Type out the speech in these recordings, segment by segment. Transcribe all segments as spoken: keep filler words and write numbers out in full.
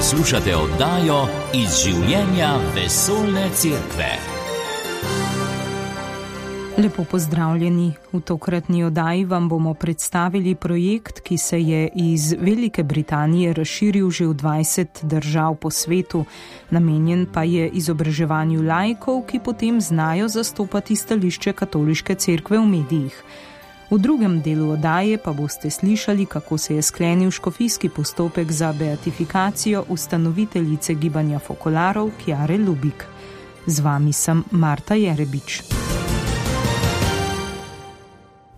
Poslušate oddajo Iz življenja vesoljne cerkve. Lepo pozdravljeni. V tokratni oddaji vam bomo predstavili projekt, ki se je iz Velike Britanije razširil že v dvajset držav po svetu. Namenjen pa je izobraževanju laikov, ki potem znajo zastopati stališče katoliške cerkve v medijih. V drugem delu oddaje pa boste slišali, kako se je sklenil škofijski postopek za beatifikacijo ustanoviteljice gibanja fokolarov Kjare Lubik. Z vami sem Marta Jerebič.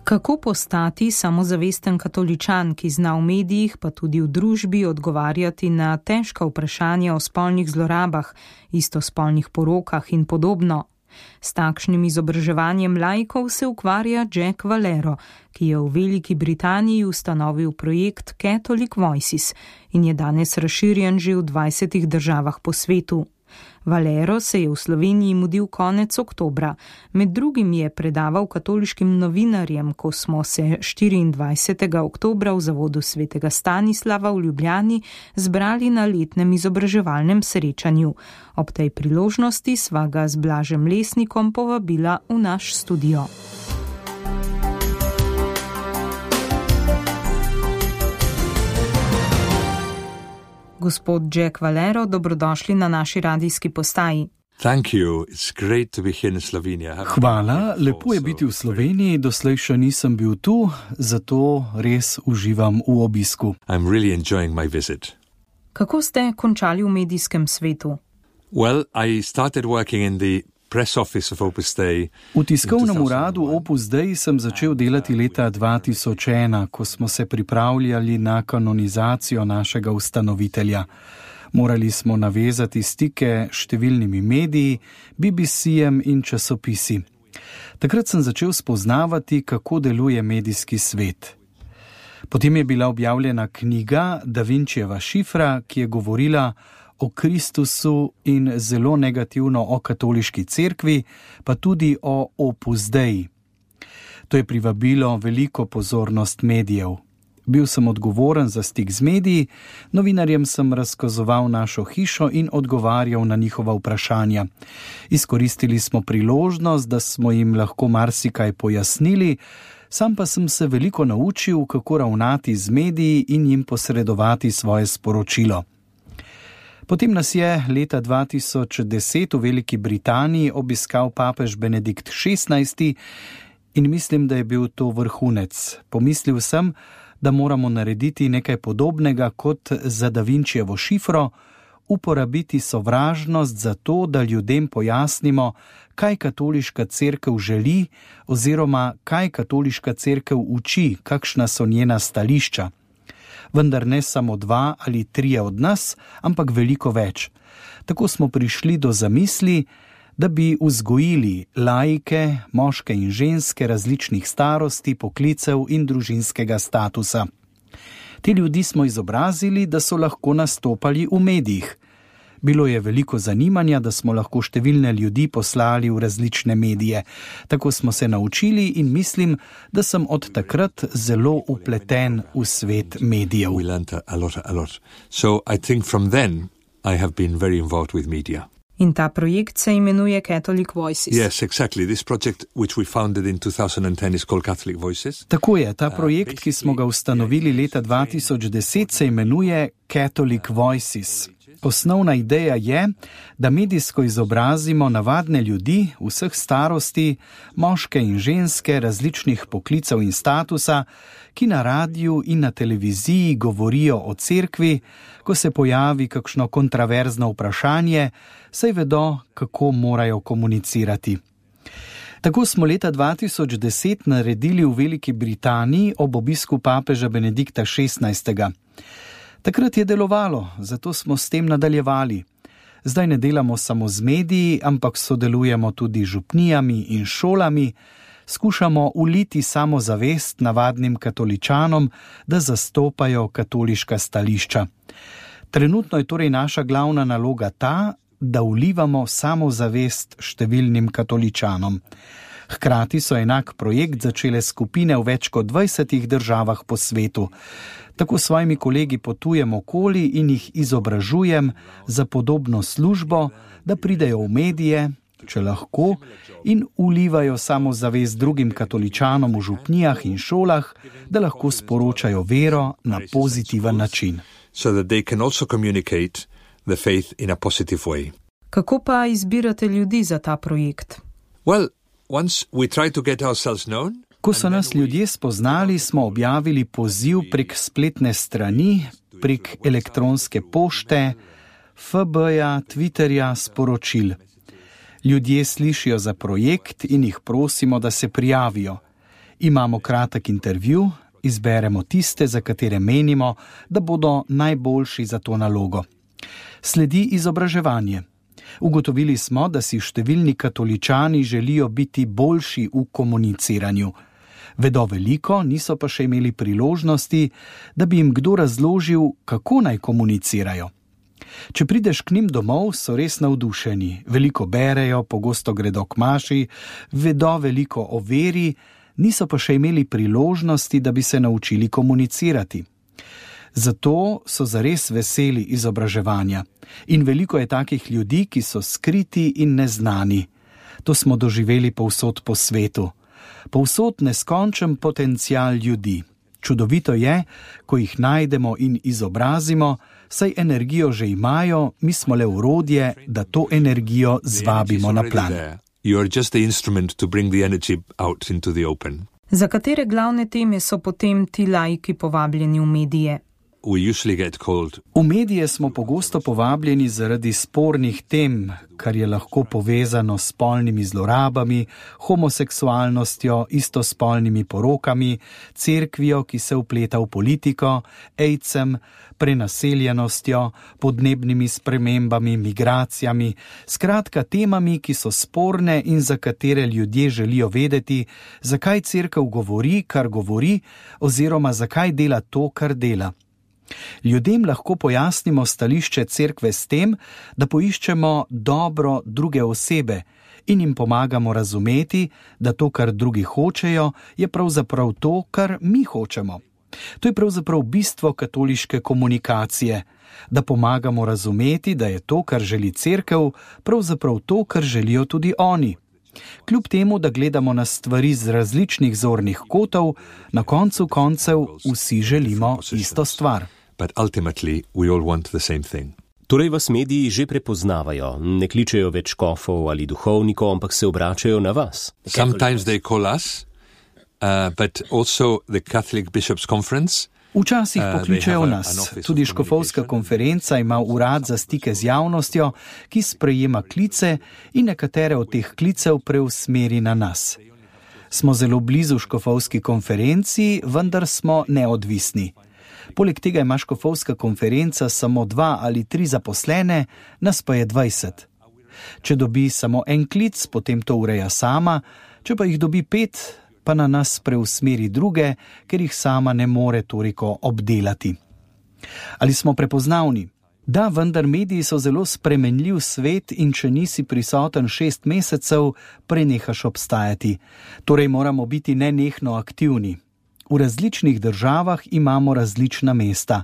Kako postati samozavesten katoličan, ki zna v medijih, pa tudi v družbi odgovarjati na težka vprašanja o spolnih zlorabah, istospolnih porokah in podobno? S takšnim izobraževanjem laikov se ukvarja Jack Valero, ki je v Veliki Britaniji ustanovil projekt Catholic Voices in je danes razširjen že v dvajsetih državah po svetu. Valero se je v Sloveniji mudil konec oktobra. Med drugim je predaval katoliškim novinarjem, ko smo se štiriindvajsetega oktobra v zavodu svetega Stanislava v Ljubljani zbrali na letnem izobraževalnem srečanju. Ob tej priložnosti sva ga z Blažem Lesnikom povabila v naš studio. Gospod Jack Valero, dobrodošli na naši radijski postaji. Hvala, lepo je biti v Sloveniji, doslej še nisem bil tu, zato res uživam v obisku. Really Kako ste končali v medijskem svetu? Well, I started working in the press office of Opus Dei. V tiskovnem uradu Opus Dei sem začel delati leta dva tisoč ena, ko smo se pripravljali na kanonizacijo našega ustanovitelja. Morali smo navezati stike s številnimi mediji, B B C-jem in časopisi. Takrat sem začel spoznavati, kako deluje medijski svet. Potem je bila objavljena knjiga Da Vinčijeva šifra, ki je govorila o Kristusu in zelo negativno o katoliški cerkvi, pa tudi o Opus Dei. To je privabilo veliko pozornost medijev. Bil sem odgovoren za stik z mediji, novinarjem sem razkazoval našo hišo in odgovarjal na njihova vprašanja. Izkoristili smo priložnost, da smo jim lahko marsikaj pojasnili, sam pa sem se veliko naučil, kako ravnati z mediji in jim posredovati svoje sporočilo. Potem nas je leta dva tisoč deset v Veliki Britaniji obiskal papež Benedikt šestnajsti in mislim, da je bil to vrhunec. Pomislil sem, da moramo narediti nekaj podobnega kot za Da Vinčijevo šifro, uporabiti sovražnost za to, da ljudem pojasnimo, kaj katoliška cerkev želi oziroma kaj katoliška cerkev uči, kakšna so njena stališča. Vendar ne samo dva ali trije od nas, ampak veliko več. Tako smo prišli do zamisli, da bi vzgojili laike, moške in ženske različnih starosti, poklicev in družinskega statusa. Te ljudi smo izobrazili, da so lahko nastopali v medijih. Bilo je veliko zanimanja, da smo lahko številne ljudi poslali v različne medije. Tako smo se naučili in mislim, da sem od takrat zelo upleten v svet medijev. We learned a lot, a lot. So I think from then I have been very involved with media. In ta projekt se imenuje Catholic Voices. Yes, exactly. This project, which we founded in two thousand ten, is called Catholic Voices. Tako je, ta projekt, ki smo ga ustanovili leta dva tisoč deset, se imenuje Catholic Voices. Osnovna ideja je, da medijsko izobrazimo navadne ljudi vseh starosti, moške in ženske, različnih poklicev in statusa, ki na radiju in na televiziji govorijo o cerkvi, ko se pojavi kakšno kontraverzno vprašanje, saj vedo, kako morajo komunicirati. Tako smo leta dva tisoč deset naredili v Veliki Britaniji ob obisku papeža Benedikta šestnajstega. Takrat je delovalo, zato smo s tem nadaljevali. Zdaj ne delamo samo z mediji, ampak sodelujemo tudi z župnijami in šolami, skušamo uliti samozavest navadnim katoličanom, da zastopajo katoliška stališča. Trenutno je torej naša glavna naloga ta, da ulivamo samozavest številnim katoličanom. Hkrati so enak projekt začele skupine v več kot dvajsetih državah po svetu. Tako s svojimi kolegi potujem okoli in jih izobražujem za podobno službo, da pridejo v medije, če lahko, in vlivajo samozavest drugim katoličanom v župnijah in šolah, da lahko sporočajo vero na pozitiven način. So that they can also communicate the faith in a positive way. Kako pa izbirate ljudi za ta projekt? Well, once we try to get ourselves known, ko so nas ljudje spoznali, smo objavili poziv prek spletne strani, prek elektronske pošte, F B-ja, Twitterja, sporočil. Ljudje slišijo za projekt in jih prosimo, da se prijavijo. Imamo kratek intervju, izberemo tiste, za katere menimo, da bodo najboljši za to nalogo. Sledi izobraževanje. Ugotovili smo, da si številni katoličani želijo biti boljši v komuniciranju. Vedo veliko, niso pa še imeli priložnosti, da bi jim kdo razložil, kako naj komunicirajo. Če prideš k njim domov, so res navdušeni, veliko berejo, pogosto gredo k maši, vedo veliko o veri, niso pa še imeli priložnosti, da bi se naučili komunicirati. Zato so zares veseli izobraževanja. In veliko je takih ljudi, ki so skriti in neznani. To smo doživeli povsod po svetu. Povsod neskončen potencial ljudi. Čudovito je, ko jih najdemo in izobrazimo, saj energijo že imajo, mi smo le orodje, da to energijo zvabimo na plan. Za katere glavne teme so potem ti laiki povabljeni v medije? V medije smo pogosto povabljeni zaradi spornih tem, kar je lahko povezano s spolnimi zlorabami, homoseksualnostjo, istospolnimi porokami, cerkvijo, ki se vpleta v politiko, aidsom, prenaseljenostjo, podnebnimi spremembami, migracijami, skratka temami, ki so sporne in za katere ljudje želijo vedeti, zakaj cerkev govori, kar govori, oziroma zakaj dela to, kar dela. Ljudem lahko pojasnimo stališče cerkve s tem, da poiščemo dobro druge osebe in jim pomagamo razumeti, da to, kar drugi hočejo, je pravzaprav to, kar mi hočemo. To je pravzaprav bistvo katoliške komunikacije, da pomagamo razumeti, da je to, kar želi cerkev, pravzaprav to, kar želijo tudi oni. Kljub temu, da gledamo na stvari z različnih zornih kotov, na koncu koncev vsi želimo isto stvar. But ultimately we all want the same thing. Torej vas mediji že prepoznavajo, ne kličejo več škofov ali duhovnikov, ampak se obračajo na vas. Sometimes they call us, uh, but also the Catholic Bishops' Conference. Včasih pokličejo nas. Tudi škofovska konferenca ima urad za stike z javnostjo, ki sprejema klice in nekatere od teh klicev preusmeri na nas. Smo zelo blizu škofovski konferenci, vendar smo neodvisni. Poleg tega ima škofovska konferenca samo dva ali tri zaposlene, nas pa je dvajset. Če dobi samo en klic, potem to ureja sama, če pa jih dobi pet, pa na nas preusmeri druge, ker jih sama ne more toliko obdelati. Ali smo prepoznavni? Da, vendar mediji so zelo spremenljiv svet in če nisi prisoten šest mesecev, prenehaš obstajati. Torej moramo biti nenehno aktivni. V različnih državah imamo različna mesta.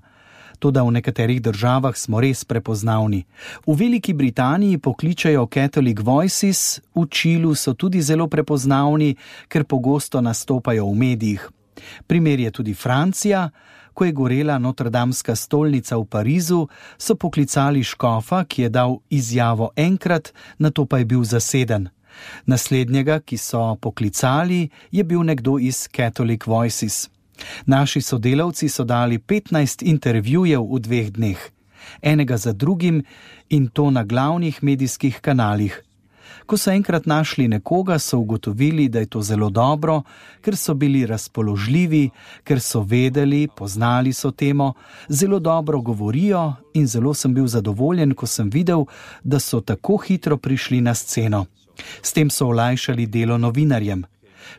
Toda v nekaterih državah smo res prepoznavni. V Veliki Britaniji pokličajo Catholic Voices, v Čilu so tudi zelo prepoznavni, ker pogosto nastopajo v medijih. Primer je tudi Francija. Ko je gorela Notredamska stolnica v Parizu, so poklicali škofa, ki je dal izjavo enkrat, nato pa je bil zaseden. Naslednjega, ki so poklicali, je bil nekdo iz Catholic Voices. Naši sodelavci so dali petnajst intervjujev v dveh dneh, enega za drugim in to na glavnih medijskih kanalih. Ko so enkrat našli nekoga, so ugotovili, da je to zelo dobro, ker so bili razpoložljivi, ker so vedeli, poznali so temo, zelo dobro govorijo in zelo sem bil zadovoljen, ko sem videl, da so tako hitro prišli na sceno. S tem so olajšali delo novinarjem.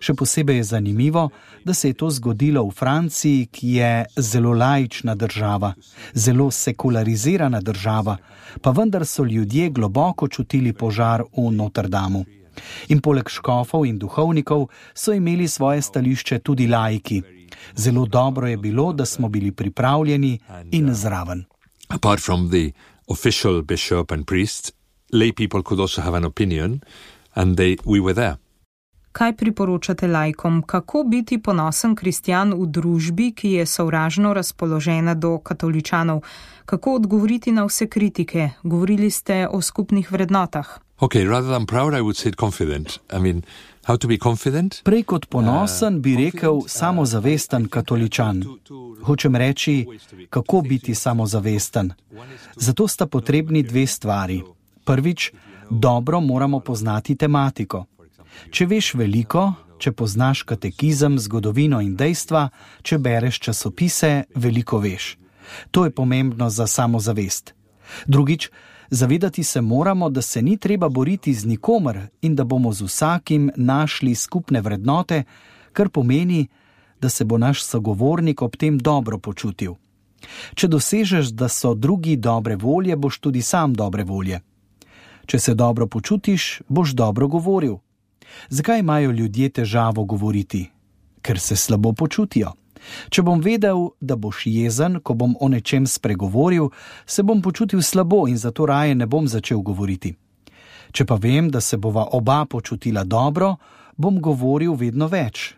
Še posebej je zanimivo, da se je to zgodilo v Franciji, ki je zelo laična država, zelo sekularizirana država, pa vendar so ljudje globoko čutili požar v Notredamu. In poleg škofov in duhovnikov so imeli svoje stališče tudi laiki. Zelo dobro je bilo, da smo bili pripravljeni in zraven. Apart from the official bishop and priests, lay people could also have an opinion, and they, we were there. Kaj priporočate laikom? Kako biti ponosen kristjan v družbi, ki je sovražno razpoložena do katoličanov? Kako odgovoriti na vse kritike? Govorili ste o skupnih vrednotah. Okay, rather than proud, I would say confident. I mean, how to be confident? Prej kot ponosen bi rekel samozavesten katoličan. Hočem reči, kako biti samozavesten. Zato sta potrebni dve stvari. Prvič, dobro moramo poznati tematiko. Če veš veliko, če poznaš katekizem, zgodovino in dejstva, če bereš časopise, veliko veš. To je pomembno za samozavest. Drugič, zavedati se moramo, da se ni treba boriti z nikomer in da bomo z vsakim našli skupne vrednote, kar pomeni, da se bo naš sogovornik ob tem dobro počutil. Če dosežeš, da so drugi dobre volje, boš tudi sam dobre volje. Če se dobro počutiš, boš dobro govoril. Zakaj imajo ljudje težavo govoriti? Ker se slabo počutijo. Če bom vedel, da boš jezen, ko bom o nečem spregovoril, se bom počutil slabo in zato raje ne bom začel govoriti. Če pa vem, da se bova oba počutila dobro, bom govoril vedno več.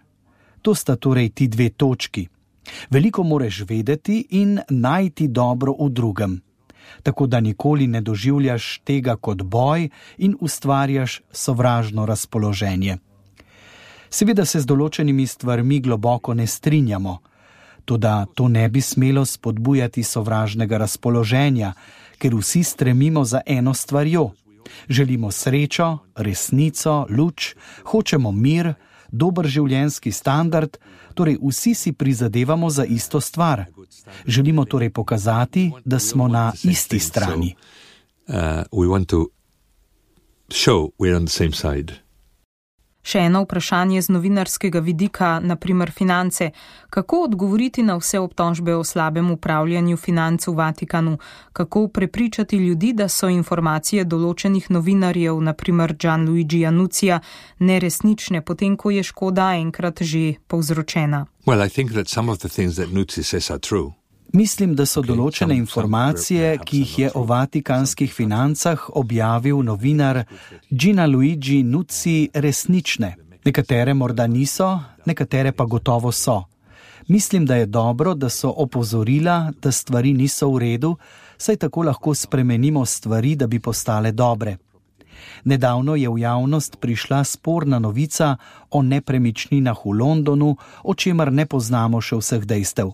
To sta torej ti dve točki. Veliko moraš vedeti in najti dobro v drugem. Tako da nikoli ne doživljaš tega kot boj in ustvarjaš sovražno razpoloženje. Seveda se z določenimi stvarmi globoko ne strinjamo, toda to ne bi smelo spodbujati sovražnega razpoloženja, ker vsi stremimo za eno stvarjo. Želimo srečo, resnico, luč, hočemo mir, dober življenjski standard, torej vsi si prizadevamo za isto stvar. Želimo torej pokazati, da smo na isti strani. Uh, we want to show we're on the same side. Še eno vprašanje z novinarskega vidika, naprimer finance. Kako odgovoriti na vse obtožbe o slabem upravljanju financ v Vatikanu? Kako prepričati ljudi, da so informacije določenih novinarjev, naprimer Gianluigija Nuzzija, neresnične, potem ko je škoda enkrat že povzročena? Well, I think that some of the things that Nuzzi says are true. Mislim, da so določene informacije, ki jih je o vatikanskih financah objavil novinar Gianluigi Nuzzi, resnične. Nekatere morda niso, nekatere pa gotovo so. Mislim, da je dobro, da so opozorila, da stvari niso v redu, saj tako lahko spremenimo stvari, da bi postale dobre. Nedavno je v javnost prišla sporna novica o nepremičninah v Londonu, o čemer ne poznamo še vseh dejstev.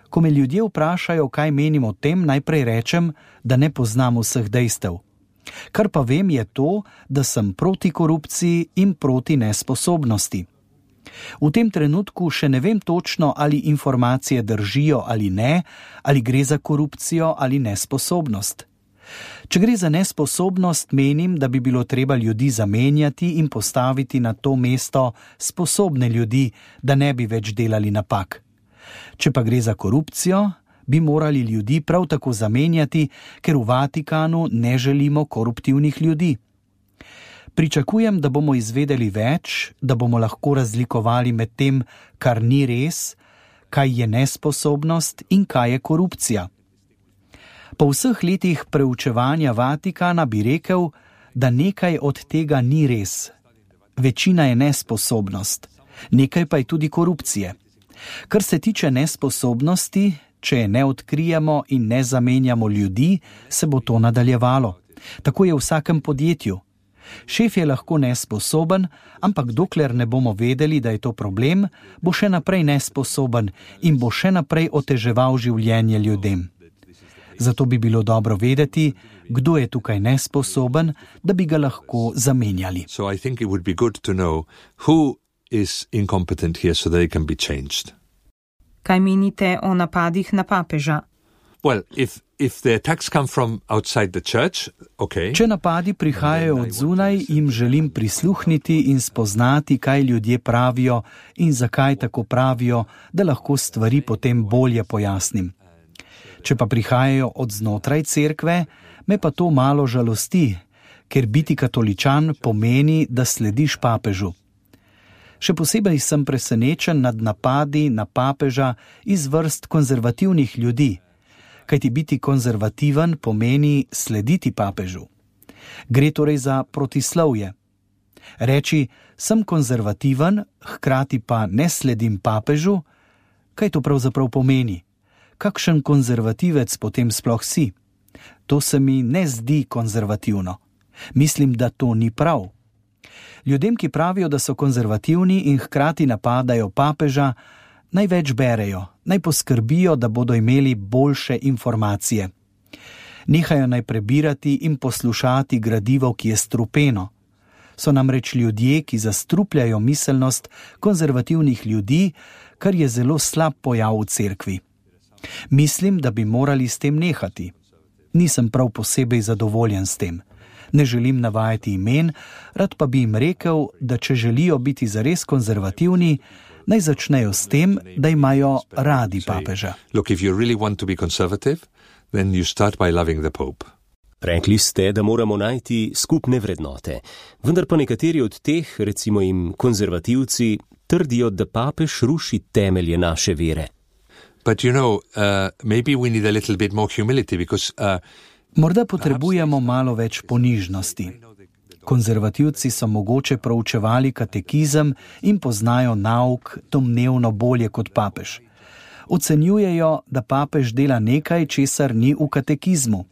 Ko me ljudje vprašajo, kaj menim o tem, najprej rečem, da ne poznam vseh dejstev. Kar pa vem je to, da sem proti korupciji in proti nesposobnosti. V tem trenutku še ne vem točno, ali informacije držijo ali ne, ali gre za korupcijo ali nesposobnost. Če gre za nesposobnost, menim, da bi bilo treba ljudi zamenjati in postaviti na to mesto sposobne ljudi, da ne bi več delali napak. Če pa gre za korupcijo, bi morali ljudi prav tako zamenjati, ker v Vatikanu ne želimo koruptivnih ljudi. Pričakujem, da bomo izvedeli več, da bomo lahko razlikovali med tem, kar ni res, kaj je nesposobnost in kaj je korupcija. Po vseh letih preučevanja Vatikana bi rekel, da nekaj od tega ni res. Večina je nesposobnost, nekaj pa je tudi korupcije. Kar se tiče nesposobnosti, če je ne odkrijemo in ne zamenjamo ljudi, se bo to nadaljevalo. Tako je v vsakem podjetju. Šef je lahko nesposoben, ampak dokler ne bomo vedeli, da je to problem, bo še naprej nesposoben in bo še naprej oteževal življenje ljudem. Zato bi bilo dobro vedeti, kdo je tukaj nesposoben, da bi ga lahko zamenjali. So I think it would be good to know who is incompetent here so that it can be changed. Kaj menite o napadih na papeža? Well, if if the attacks come from outside the church, okay. Če napadi prihajajo od zunaj, jim želim prisluhniti in spoznati, kaj ljudje pravijo in zakaj tako pravijo, da lahko stvari potem bolje pojasnim. Če pa prihajajo od znotraj cerkve, me pa to malo žalosti, ker biti katoličan pomeni, da slediš papežu. Še posebej sem presenečen nad napadi na papeža iz vrst konzervativnih ljudi, kajti biti konzervativen pomeni slediti papežu. Gre torej za protislovje. Reči, sem konzervativen, hkrati pa ne sledim papežu, kaj to pravzaprav pomeni? Kakšen konzervativec potem sploh si? To se mi ne zdi konzervativno. Mislim, da to ni prav. Ljudem, ki pravijo, da so konzervativni in hkrati napadajo papeža, naj več berejo, naj poskrbijo, da bodo imeli boljše informacije. Nehajo naj prebirati in poslušati gradivo, ki je strupeno. So namreč ljudje, ki zastrupljajo miselnost konzervativnih ljudi, kar je zelo slab pojav v cerkvi. Mislim, da bi morali s tem nehati. Nisem prav posebej zadovoljen s tem. Ne želim navajati imen, rad pa bi jim rekel, da če želijo biti zares konzervativni, naj začnejo s tem, da imajo radi papeža. Look, if you really want to be conservative, then you start by loving the Pope. Rekli ste, da moramo najti skupne vrednote, vendar pa nekateri od teh, recimo jim konzervativci, trdijo, da papež ruši temelje naše vere. But you know, uh, maybe we need a little bit more humility, because uh, Morda potrebujemo malo več ponižnosti. Konzervativci so mogoče proučevali katekizem in poznajo nauk domnevno bolje kot papež. Ocenjujejo, da papež dela nekaj, česar ni v katekizmu.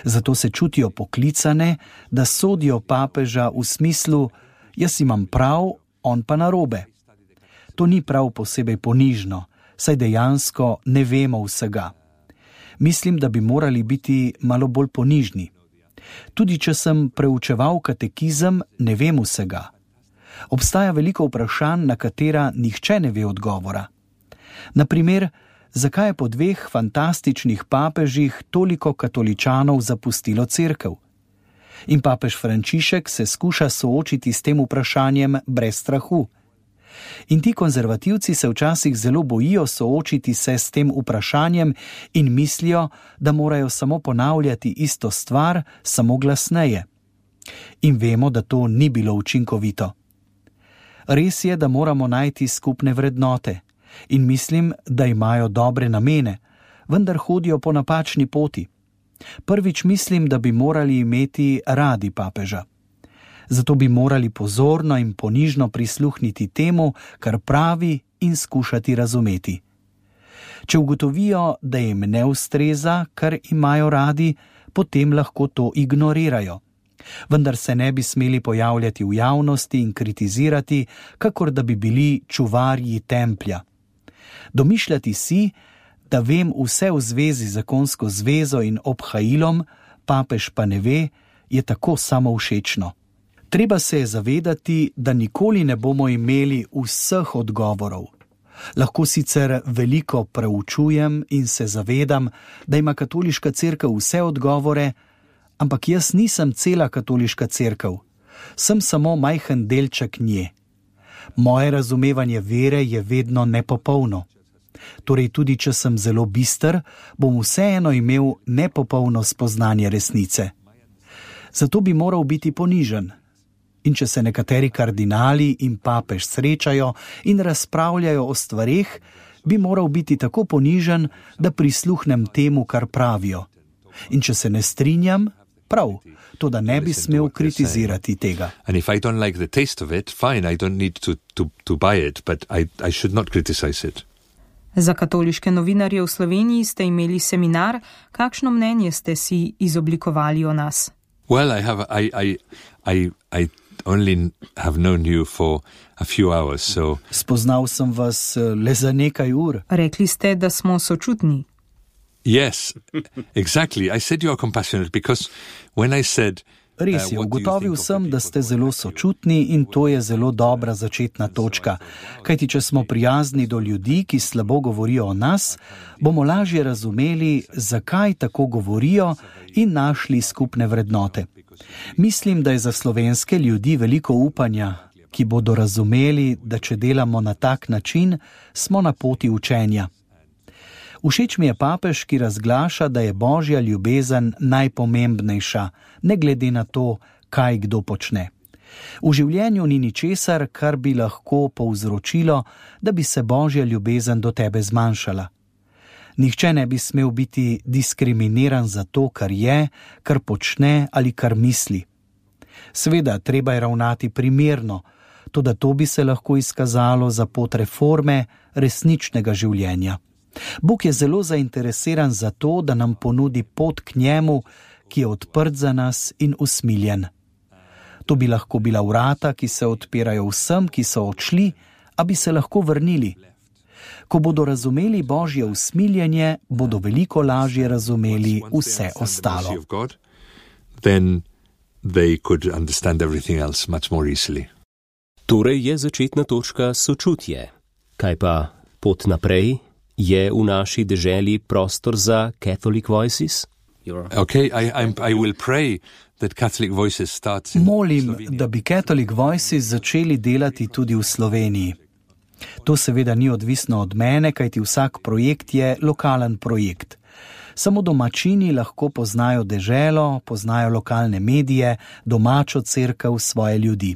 Zato se čutijo poklicane, da sodijo papeža v smislu, jaz imam prav, on pa narobe. To ni prav posebej ponižno, saj dejansko ne vemo vsega. Mislim, da bi morali biti malo bolj ponižni. Tudi če sem preučeval katekizem, ne vem vsega. Obstaja veliko vprašanj, na katera nihče ne ve odgovora. Naprimer, zakaj je po dveh fantastičnih papežih toliko katoličanov zapustilo cerkev? In papež Frančišek se skuša soočiti s tem vprašanjem brez strahu. In ti konzervativci se včasih zelo bojijo soočiti se s tem vprašanjem in mislijo, da morajo samo ponavljati isto stvar, samo glasneje. In vemo, da to ni bilo učinkovito. Res je, da moramo najti skupne vrednote in mislim, da imajo dobre namene, vendar hodijo po napačni poti. Prvič mislim, da bi morali imeti radi papeža. Zato bi morali pozorno in ponižno prisluhniti temu, kar pravi, in skušati razumeti. Če ugotovijo, da jim ne ustreza, kar imajo radi, potem lahko to ignorirajo. Vendar se ne bi smeli pojavljati v javnosti in kritizirati, kakor da bi bili čuvarji templja. Domišljati si, da vem vse v zvezi z zakonsko zvezo in obhajilom, papež pa ne ve, je tako samovšečno. Treba se je zavedati, da nikoli ne bomo imeli vseh odgovorov. Lahko sicer veliko preučujem in se zavedam, da ima katoliška cerkev vse odgovore, ampak jaz nisem cela katoliška cerkev. Sem samo majhen delček nje. Moje razumevanje vere je vedno nepopolno. Torej tudi, če sem zelo bister, bom vseeno imel nepopolno spoznanje resnice. Zato bi moral biti ponižen. In če se nekateri kardinali in papež srečajo in razpravljajo o stvareh, bi moral biti tako ponižen, da prisluhnem temu, kar pravijo. In če se ne strinjam, prav, to da ne bi smel kritizirati tega. And if I don't like the taste of it, fine, I don't need to, to, to buy it, but I, I should not criticize it. Za katoliške novinarje v Sloveniji ste imeli seminar. Kakšno mnenje ste si izoblikovali o nas? Well, I have, I, I, I, I only have known you for a few hours, so... Spoznal sem vas le za nekaj ur. Rekli ste, da smo sočutni. Yes, exactly. I said you are compassionate because when I said... Res je, ugotovil sem, da ste zelo sočutni in to je zelo dobra začetna točka. Kajti, če smo prijazni do ljudi, ki slabo govorijo o nas, bomo lažje razumeli, zakaj tako govorijo in našli skupne vrednote. Mislim, da je za slovenske ljudi veliko upanja, ki bodo razumeli, da če delamo na tak način, smo na poti učenja. Všeč mi je papež, ki razglaša, da je božja ljubezen najpomembnejša, ne glede na to, kaj kdo počne. V življenju ni ničesar, kar bi lahko povzročilo, da bi se božja ljubezen do tebe zmanjšala. Nihče ne bi smel biti diskriminiran za to, kar je, kar počne ali kar misli. Seveda, treba je ravnati primerno, toda to bi se lahko izkazalo za pot reforme resničnega življenja. Bog je zelo zainteresiran za to, da nam ponudi pot k njemu, ki je odprt za nas in usmiljen. To bi lahko bila vrata, ki se odpirajo vsem, ki so odšli, a bi se lahko vrnili. Ko bodo razumeli božje usmiljenje, bodo veliko lažje razumeli vse ostalo. Then they could understand everything else much more easily. Torej je začetna točka sočutje. Kaj pa pot naprej? Je v naši deželi prostor za Catholic Voices? Okay, I, I'm, I will pray that Catholic Voices starts in Molim, Slovenia. da bi Catholic Voices začeli delati tudi v Sloveniji. To seveda ni odvisno od mene, kajti vsak projekt je lokalen projekt. Samo domačini lahko poznajo deželo, poznajo lokalne medije, domačo cerkev, svoje ljudi.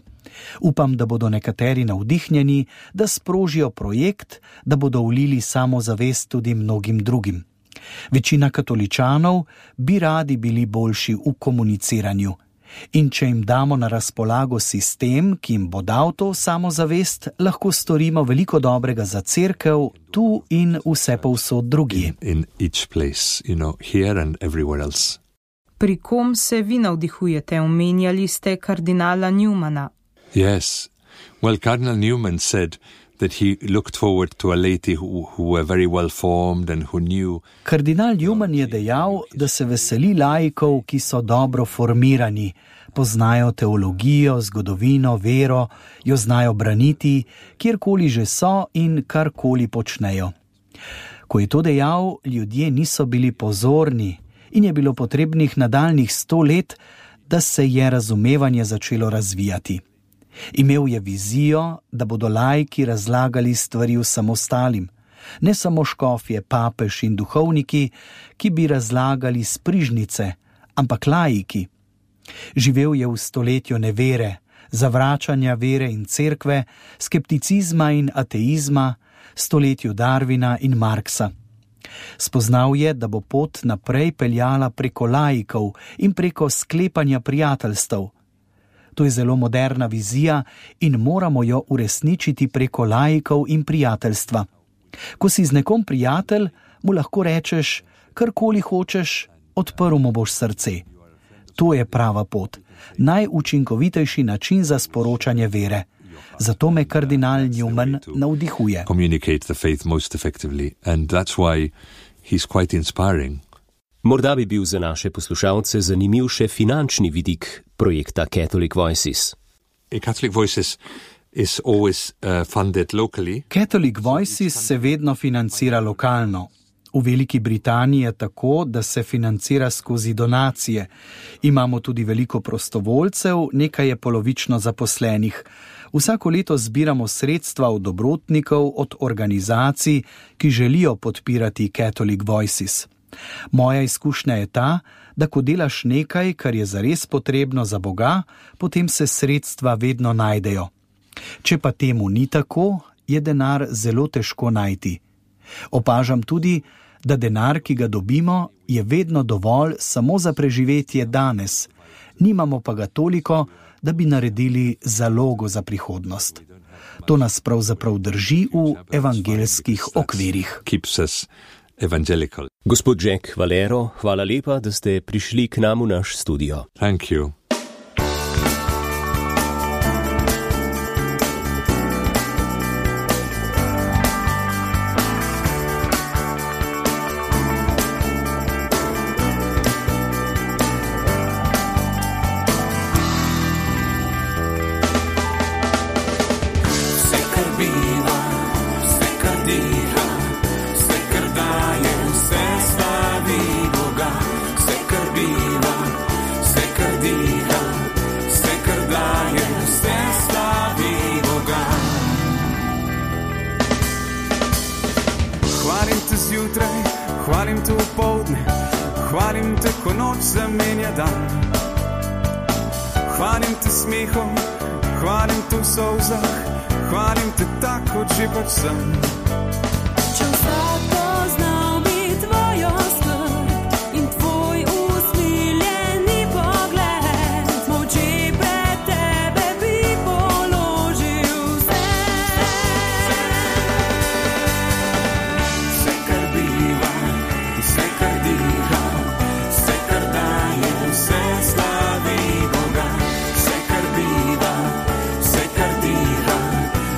Upam, da bodo nekateri navdihnjeni, da sprožijo projekt, da bodo vlili samozavest tudi mnogim drugim. Večina katoličanov bi radi bili boljši v komuniciranju. In če jim damo na razpolago sistem, ki jim bo dal to samozavest, lahko storimo veliko dobrega za cerkev tu in vse povsod drugje. In each place, you know, here and everywhere else. Pri kom se vi navdihujete? Omenjali ste kardinala Newmana. Yes. Well, Cardinal Newman said that he looked forward to a lady who, who were very well formed and who knew. Kardinal Newman je dejal, da se veseli laikov, ki so dobro formirani, poznajo teologijo, zgodovino, vero, jo znajo braniti, kjerkoli že so in karkoli počnejo. Ko je to dejal, ljudje niso bili pozorni in je bilo potrebnih nadaljnjih sto let, da se je razumevanje začelo razvijati. Imel je vizijo, da bodo laiki razlagali stvari vsem ostalim, ne samo škofje, papež in duhovniki, ki bi razlagali sprižnice, ampak laiki. Živel je v stoletju nevere, zavračanja vere in cerkve, skepticizma in ateizma, stoletju Darwina in Marksa. Spoznal je, da bo pot naprej peljala preko laikov in preko sklepanja prijateljstev. To je zelo moderna vizija in moramo jo uresničiti preko laikov in prijateljstva. Ko si z nekom prijatelj, mu lahko rečeš, karkoli hočeš, odprl mu boš srce. To je prava pot, najučinkovitejši način za sporočanje vere. Zato me kardinal Newman navdihuje. Communicate the faith most effectively, and that's why he's quite inspiring. Morda bi bil za naše poslušalce zanimiv še finančni vidik projekta Catholic Voices. Catholic Voices is always uh, funded locally. Catholic Voices se vedno financira lokalno. V Veliki Britaniji je tako, da se financira skozi donacije. Imamo tudi veliko prostovoljcev, nekaj je polovično zaposlenih. Vsako leto zbiramo sredstva od dobrotnikov, od organizacij, ki želijo podpirati Catholic Voices. Moja izkušnja je ta, da ko delaš nekaj, kar je zares potrebno za Boga, potem se sredstva vedno najdejo. Če pa temu ni tako, je denar zelo težko najti. Opažam tudi, da denar, ki ga dobimo, je vedno dovolj samo za preživetje danes. Nimamo pa ga toliko, da bi naredili zalogo za prihodnost. To nas pravzaprav drži v evangeljskih okvirih. Evangelical. Gospod Jack Valero, hvala lepa, da ste prišli k nam v naš studio. Thank you. The Hvalim te v poldne, hvalim te, ko noč zamenja dan. Hvalim te smehom, hvalim te v solzah, hvalim te tak, kot že pač sem. Če vsak poznal bi tvojo skrb in tvoj usmiljeni pogled, moči pred tebe bi položil vse. Vse, kar biva, vse, kar diha, vse, kar daje, vse slavi Boga. Vse, kar biva, vse, kar diha,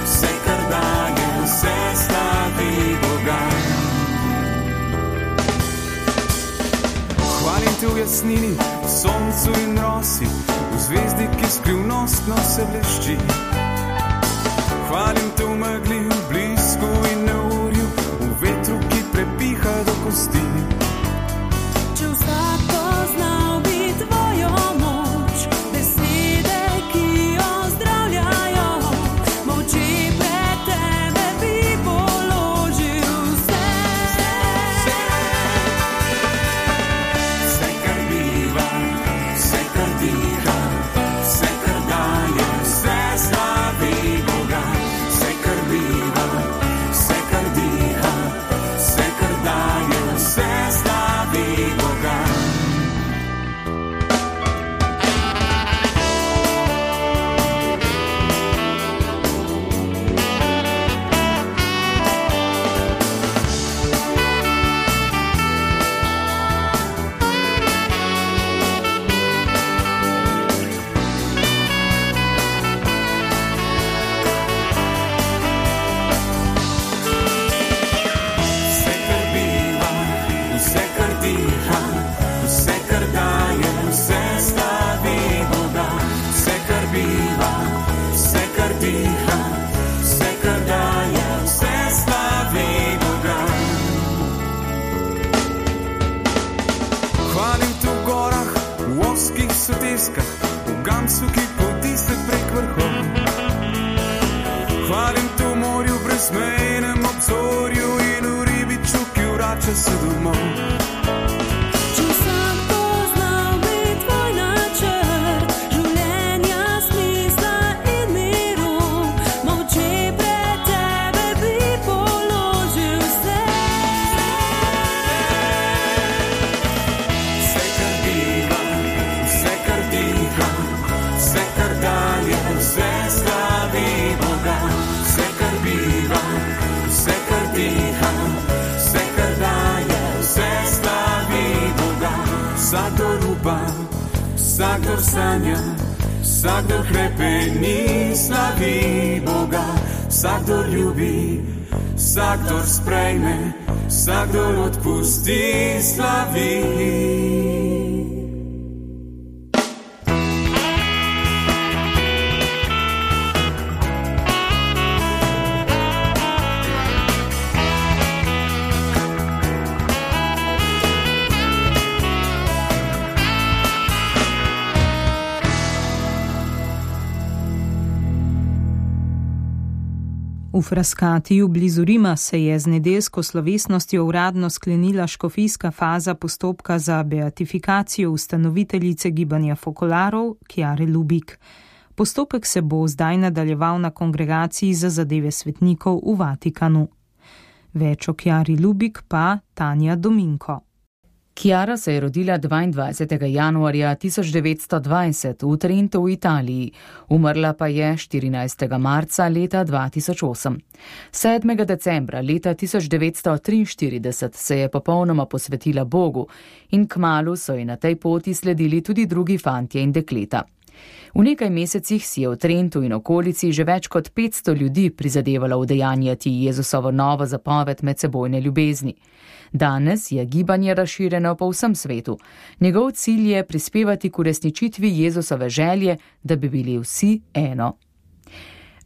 vse, kar daje, vse slavi Boga. Hvalim te v jasnini, v soncu in rosi, v zvezdi, ki skrivnostno se blešči. Hvalim te v megli, v blisku in neurju, v vetru, ki prepiha do kosti. Če vsak poznal bi tvojo moč, besede, ki ozdravljajo, moči pred tebe bi položil vse. Vse, kar biva, vse, kar diha, vse, kar daje, vse slavi Boga. Vse, kar biva, vse, kar diha, vse, kar daje, vse slavi Boga. Vse, kar biva, vse, kar diha, vse, kar daje, vse slavi Boga. Vse, kar biva, vse, kar diha, vse, kar daje, vse slavi Boga. Hvalim te v gorah, v ozkih soteskah, v gamsu, ki poti se prek vrhov. Hvalim te v morju, brezmejnem obzorju in v ribiču, ki vrača se domov. Če vsak poznal bi tvoj načrt, življenja, smisla in miru, moči pred tebe bi položil vse. Vse, kar biva, vse, kar diha, vse, kar daje, vse slavi Boga. Vse, kar biva, vse, kar diha, vse, kar daje, vse slavi Boga. Vsakdor upa, vsakdor sanja, vsakdor hrepeni, slavi Boga. Vsakdor ljubi, vsakdor sprejme, vsakdor odpusti, slavi. V Frascatiju blizu Rima se je z nedeljsko slovesnostjo uradno sklenila škofijska faza postopka za beatifikacijo ustanoviteljice gibanja fokolarov Chiare Lubich. Postopek se bo zdaj nadaljeval na kongregaciji za zadeve svetnikov v Vatikanu. Več o Chiari Lubich pa Tanja Dominko. Chiara se je rodila dvaindvajsetega januarja tisoč devetsto dvajset v Trentu v Italiji, umrla pa je štirinajstega marca leta dva tisoč osem. sedmega decembra leta tisoč devetsto triinštirideset se je popolnoma posvetila Bogu in kmalu so ji na tej poti sledili tudi drugi fantje in dekleta. V nekaj mesecih si je v Trentu in okolici že več kot petsto ljudi prizadevalo udejanjati Jezusovo novo zapoved medsebojne ljubezni. Danes je gibanje razširjeno po vsem svetu. Njegov cilj je prispevati k uresničitvi Jezusove želje, da bi bili vsi eno.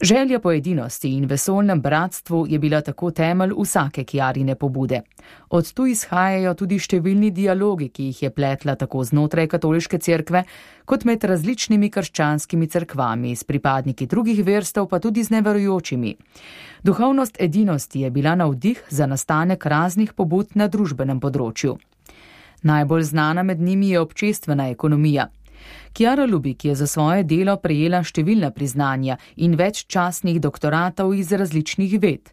Želja po edinosti in vesoljnem bratstvu je bila tako temelj vsake Chiarine pobude. Od tu izhajajo tudi številni dialogi, ki jih je pletla tako znotraj katoliške cerkve, kot med različnimi krščanskimi cerkvami, s pripadniki drugih verstev pa tudi z neverujočimi. Duhovnost edinosti je bila navdih za nastanek raznih pobud na družbenem področju. Najbolj znana med njimi je občestvena ekonomija. Chiara Lubich je za svoje delo prejela številna priznanja in več častnih doktoratov iz različnih ved.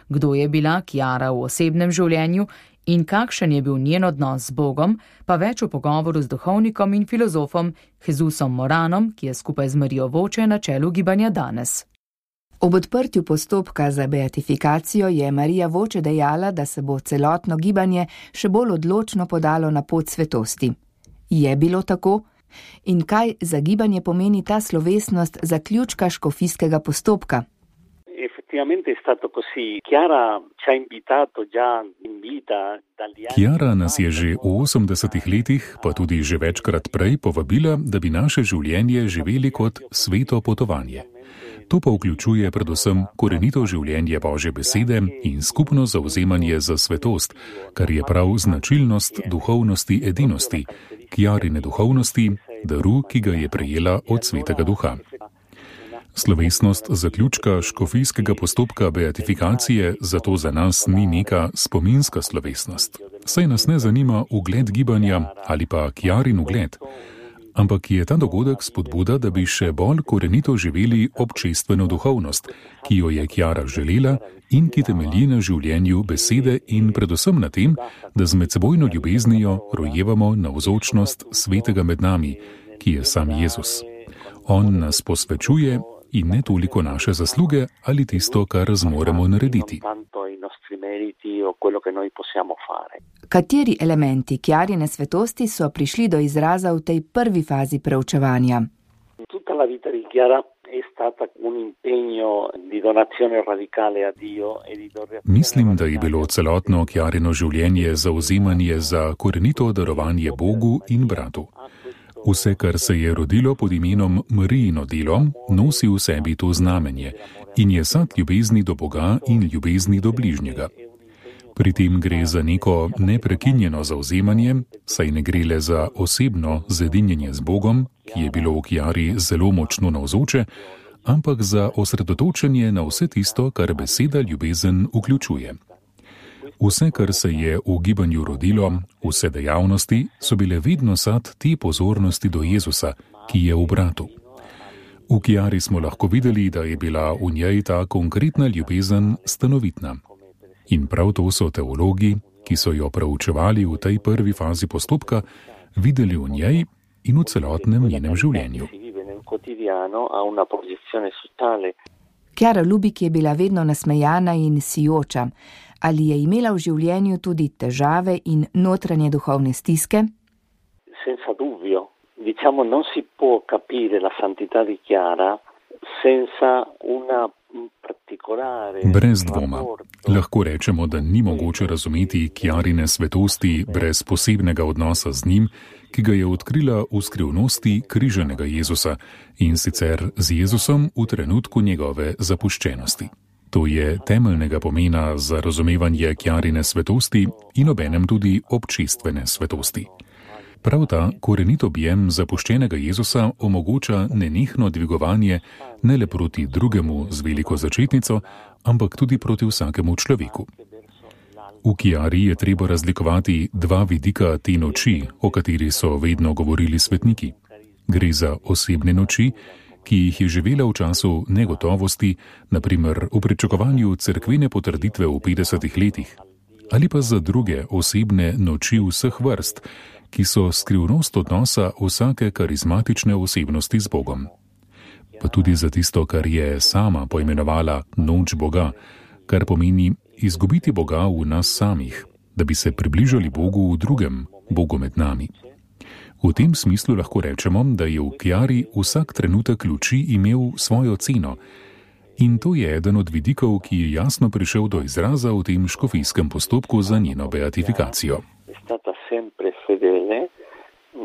Kdo je bila Chiara v osebnem življenju in kakšen je bil njen odnos z Bogom, pa več v pogovoru z duhovnikom in filozofom Jesusom Moranom, ki je skupaj z Marijo Voče na čelu gibanja Danes. Ob odprtju postopka za beatifikacijo je Marija Voče dejala, da se bo celotno gibanje še bolj odločno podalo na pot svetosti. Je bilo tako? In kaj za gibanje pomeni ta slovesnost zaključka škofijskega postopka? Chiara nas je že v osemdesetih letih, pa tudi že večkrat prej, povabila, da bi naše življenje živeli kot sveto potovanje. To pa vključuje predvsem korenito življenje Božje besede in skupno zavzemanje za svetost, kar je prav značilnost duhovnosti edinosti, Chiarine duhovnosti, daru, ki ga je prejela od Svetega Duha. Slovesnost zaključka škofijskega postopka beatifikacije zato za nas ni neka spominska slovesnost. Saj nas ne zanima ugled gibanja ali pa Chiarin ugled, ampak je ta dogodek spodbuda, da bi še bolj korenito živeli občestveno duhovnost, ki jo je Chiara želela in ki temelji na življenju besede in predvsem na tem, da z medsebojno ljubeznijo rojevamo navzočnost svetega med nami, ki je sam Jezus. On nas posvečuje in ne toliko naše zasluge ali tisto, kar zmoremo narediti. Kateri elementi Chiarine svetosti so prišli do izraza v tej prvi fazi preučevanja? Mislim, da je bilo celotno Chiarino življenje zavzemanje za korenito darovanje Bogu in bratu. Vse, kar se je rodilo pod imenom Marijino delo, nosi v sebi to znamenje in je sad ljubezni do Boga in ljubezni do bližnjega. Pri tem gre za neko neprekinjeno zavzemanje, saj ne gre le za osebno zedinjenje z Bogom, ki je bilo v Chiari zelo močno navzoče, ampak za osredotočenje na vse tisto, kar beseda ljubezen vključuje. Vse, kar se je v gibanju rodilo, vse dejavnosti, so bile vedno sad te pozornosti do Jezusa, ki je v bratu. V Chiari smo lahko videli, da je bila v njej ta konkretna ljubezen stanovitna. In prav to so teologi, ki so jo preučevali v tej prvi fazi postopka, videli v njej in v celotnem njenem življenju. Chiara Lubich je bila vedno nasmejana in sijoča. Ali je imela v življenju tudi težave in notranje duhovne stiske? Senza dubbio. Diciamo, non si può capire la santità di Chiara senza una particolare... Brez dvoma. Lahko rečemo, da ni mogoče razumeti Chiarine svetosti brez posebnega odnosa z njim, ki ga je odkrila v skrivnosti križanega Jezusa in sicer z Jezusom v trenutku njegove zapuščenosti. To je temeljnega pomena za razumevanje Chiarine svetosti in obenem tudi občestvene svetosti. Prav ta korenit objem zapuščenega Jezusa omogoča nenehno dvigovanje ne le proti drugemu z veliko začetnico, ampak tudi proti vsakemu človeku. V Chiari je treba razlikovati dva vidika te noči, o kateri so vedno govorili svetniki. Gre za osebne noči, ki jih je živela v času negotovosti, na primer v pričakovanju cerkvene potrditve v petdesetih letih, ali pa za druge osebne noči vseh vrst, ki so skrivnost odnosa vsake karizmatične osebnosti z Bogom. Pa tudi za tisto, kar je sama poimenovala noč Boga, kar pomeni izgubiti Boga v nas samih, da bi se približali Bogu v drugem, Bogu med nami. V tem smislu lahko rečemo, da je v Chiari vsak trenutek luči imel svojo ceno. In to je eden od vidikov, ki je jasno prišel do izraza v tem škofijskem postopku za njeno beatifikacijo.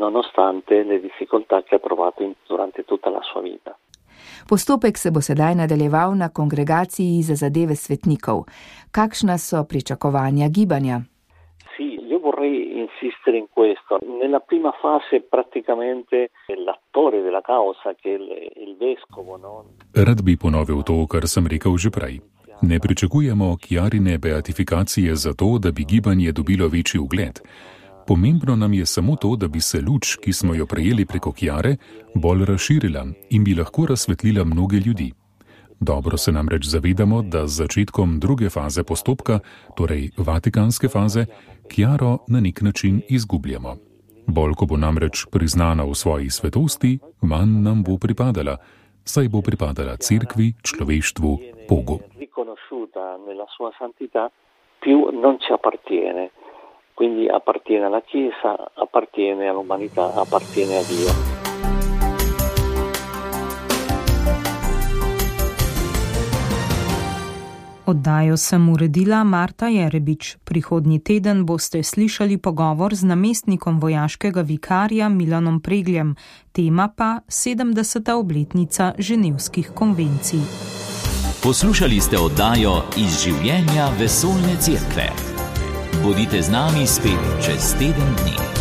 Nonostante le difficoltà che ha provato durante tutta la sua vita. Postopek se bo sedaj nadaljeval na kongregaciji za zadeve svetnikov. Kakšna so pričakovanja gibanja? Sì, io vorrei insistere in questo. Nella prima fase praticamente l'attore della causa che il, il vescovo, no? Rad bi ponovil to, kar sem rekel že prej. Ne pričakujemo Chiarine beatifikacije zato, da bi gibanje dobilo večji ugled. Pomembno nam je samo to, da bi se luč, ki smo jo prejeli preko Chiare, bolj razširila in bi lahko razsvetlila mnoge ljudi. Dobro se namreč zavedamo, da z začetkom druge faze postopka, torej vatikanske faze, Chiaro na nek način izgubljamo. Bolj, ko bo namreč priznana v svoji svetosti, manj nam bo pripadala, saj bo pripadala cerkvi, človeštvu, Bogu. Riconosciuta nella sua santità, più non ci appartiene. Quindi appartiene alla Chiesa, appartiene all'umanità, appartiene a Dio. Oddajo sem uredila Marta Jerebič. Prihodnji teden boste slišali pogovor z namestnikom vojaškega vikarja Milanom Pregljem, tema pa sedemdeseta obletnica Ženevskih konvencij. Poslušali ste oddajo Iz življenja vesoljne cerkve. Bodite z nami spet čez teden dni.